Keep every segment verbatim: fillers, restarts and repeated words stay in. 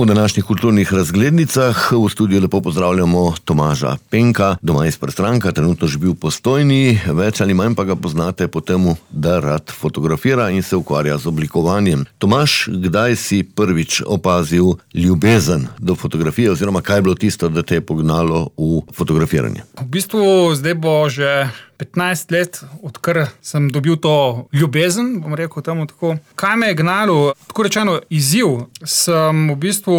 V današnjih kulturnih razglednicah v studiu lepo pozdravljamo Tomaža Penka, doma iz Prstranka, trenutno živi v Postojni, več ali manj pa ga poznate po temu, da rad fotografira in se ukvarja z oblikovanjem. Tomaž, kdaj si prvič opazil ljubezen do fotografije oziroma kaj je bilo tisto, da te je pognalo v fotografiranje? V bistvu zdaj bo že petnajst let, odkar sem dobil to ljubezen, bom rekel temu tako. Kaj me je gnalo? Tako rečeno, izziv. Sem v bistvu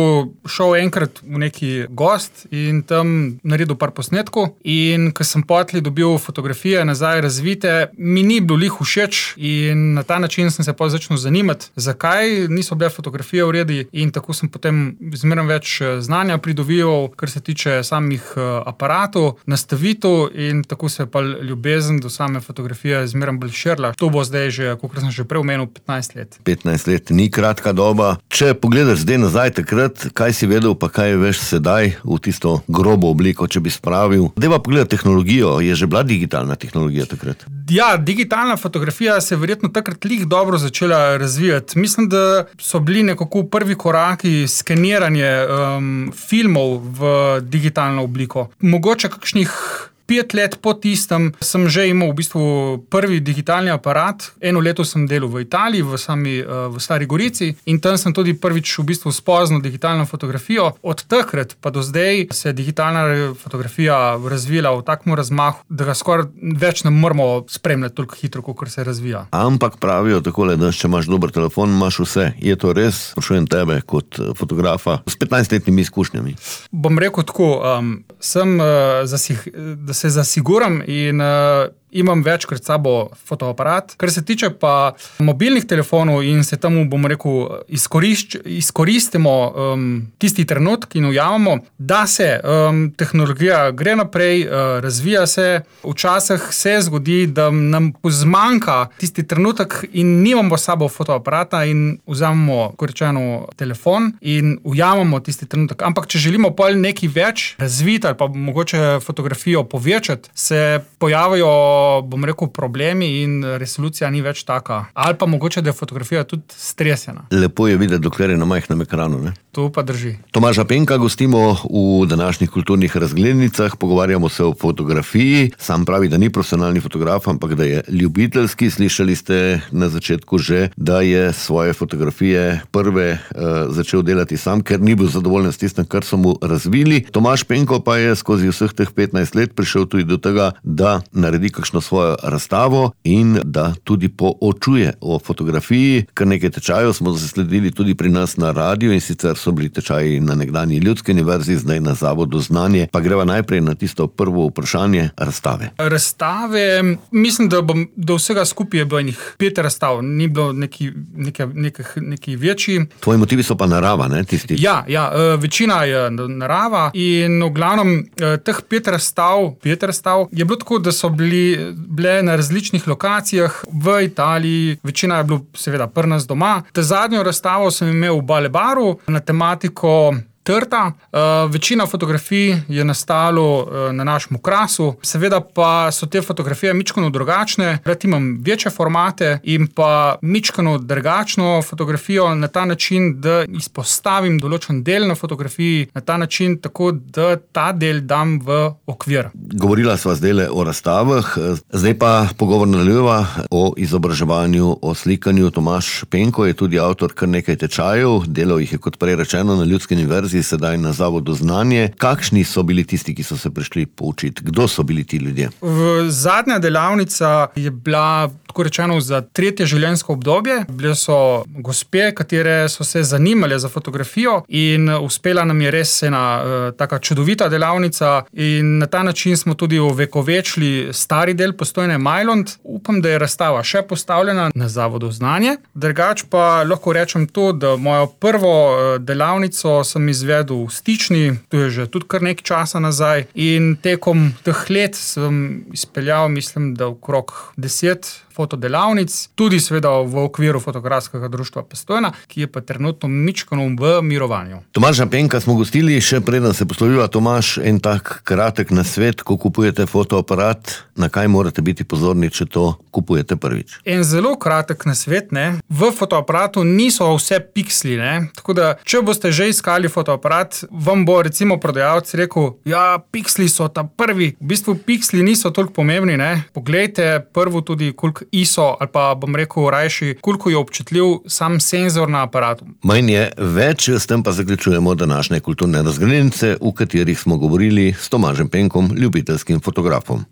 šel enkrat v neki gost in tam naredil par posnetkov in ko sem potlej dobil fotografije nazaj razvite, mi ni bilo lih všeč in na ta način sem se pa začel zanimati, zakaj niso bile fotografije v redu in tako sem potem zmeraj več znanja pridobival, kar se tiče samih aparatov, nastavitev in tako se je pa ljubezen do same fotografije zmeraj bolj širila. To bo zdaj že, kolikor sem že prej omenil, petnajst let. petnajst let ni kratka doba. Če pogledaš zdaj nazaj takrat, kaj si vedel, pa kaj veš sedaj v tisto grobo obliko, če bi spravil. Deva pogledati tehnologijo, je že bila digitalna tehnologija takrat? Ja, digitalna fotografija se je verjetno takrat lih dobro začela razvijati. Mislim, da so bili nekako prvi koraki skeniranje um, filmov v digitalno obliko. Mogoče kakšnih Pet let po tistem sem že imel v bistvu prvi digitalni aparat. Eno leto sem delal v Italiji, v sami v Stari Gorici in tam sem tudi prvič v bistvu spoznal digitalno fotografijo. Od takrat pa do zdaj se je digitalna fotografija razvila v takem razmahu, da ga skoraj več ne moramo spremljati toliko hitro, kot se razvija. Ampak pravijo takole, da če imaš dober telefon, imaš vse. Je to res? Sprašujem tebe kot fotografa s petnajstletnimi izkušnjami. Bom rekel tako, um, sem uh, zasih, da se zasiguram in uh, imam večkrat sabo fotoaparat. Kar se tiče pa mobilnih telefonov in se temu, bom rekel, izkorišč, izkoristimo um, tisti trenutk in ujamemo, da se um, tehnologija gre naprej, uh, razvija se. Včasih se zgodi, da nam zmanjka tisti trenutek in nimamo sabo fotoaparata in vzamemo, kot rečeno, telefon in ujamemo tisti trenutek. Ampak če želimo pol nekaj več razviti ali pa mogoče fotografijo povečati, se pojavijo bom rekel, problemi in resolucija ni več taka. Ali pa mogoče, da je fotografija tudi stresena. Lepo je videti, dokler je na majhnem ekranu, ne? To pa drži. Tomaža Penka gostimo v današnjih kulturnih razglednicah, pogovarjamo se o fotografiji. Sam pravi, da ni profesionalni fotograf, ampak da je ljubiteljski. Slišali ste na začetku že, da je svoje fotografije prve uh, začel delati sam, ker ni bil zadovoljen s tistem, kar so mu razvili. Tomaž Penko pa je skozi vseh teh petnajst let prišel tudi do tega, da naredi kakšno svojo razstavo in da tudi poučuje o fotografiji. Kar nekaj tečajev smo zasledili tudi pri nas na radiju in sicer so bili tečaji na nekdanji Ljudski univerzi, zdaj na Zavodu Znanje. Pa greva najprej na tisto prvo vprašanje, razstave. Razstave, mislim, da bom do vsega skupaj je bilo enih pet razstav, ni bilo neki, neki, neki, neki večji. Tvoji motivi so pa narava, ne? Tisti. Ja, ja, večina je narava in v glavnem teh pet razstav, pet razstav je bilo tako, da so bili bile na različnih lokacijah v Italiji, večina je bilo seveda pri nas doma. Ta zadnjo razstavo sem imel v Balebaru na tematiko trta. Uh, večina fotografij je nastalo uh, na našem Krasu, seveda pa so te fotografije mičkano drugačne, rad imam večje formate in pa mičkano drugačno fotografijo na ta način, da izpostavim določen del na fotografiji, na ta način tako, da ta del dam v okvir. Govorila sva zdaj o razstavah, zdaj pa pogovor nadaljujeva o izobraževanju, o slikanju. Tomaž Penko je tudi avtor kar nekaj tečajev, delal jih je kot prej rečeno na Ljudski univerzi, sedaj na Zavodu Znanje. Kakšni so bili tisti, ki so se prišli poučiti? Kdo so bili ti ljudje? V zadnja delavnica je bila, tako rečeno, za tretje življenjsko obdobje. Bile so gospe, katere so se zanimale za fotografijo in uspela nam je res ena uh, taka čudovita delavnica in na ta način smo tudi ovekovečili stari del Postojne Majlond. Upam, da je razstava še postavljena na Zavodu Znanje. Drugač pa lahko rečem to, da mojo prvo uh, delavnico sem izvedel izvedel v Stični, to je že tudi kar nekaj časa nazaj in tekom teh let sem izpeljal, mislim, da okrog deset fotodelavnic, tudi seveda v okviru Fotografskega društva Postojna, ki je pa trenutno mičkano v mirovanju. Tomaža Penka smo gostili, še preden se posloviva. Tomaž, en tak kratek nasvet, ko kupujete fotoaparat, na kaj morate biti pozorni, če to kupujete prvič? En zelo kratek nasvet, ne? V fotoaparatu niso vse piksli, ne? Tako da, če boste že iskali fotoaparat, vam bo recimo prodajalec rekel, ja, piksli so ta prvi. V bistvu piksli niso toliko pomembni, ne? Poglejte prvo tudi, koliko I S O, ali pa bom rekel rajši, koliko je občutljiv sam senzor na aparatu. Manj je več, s tem pa zaključujemo današnje kulturne razglednice, v katerih smo govorili s Tomažem Penkom, ljubiteljskim fotografom.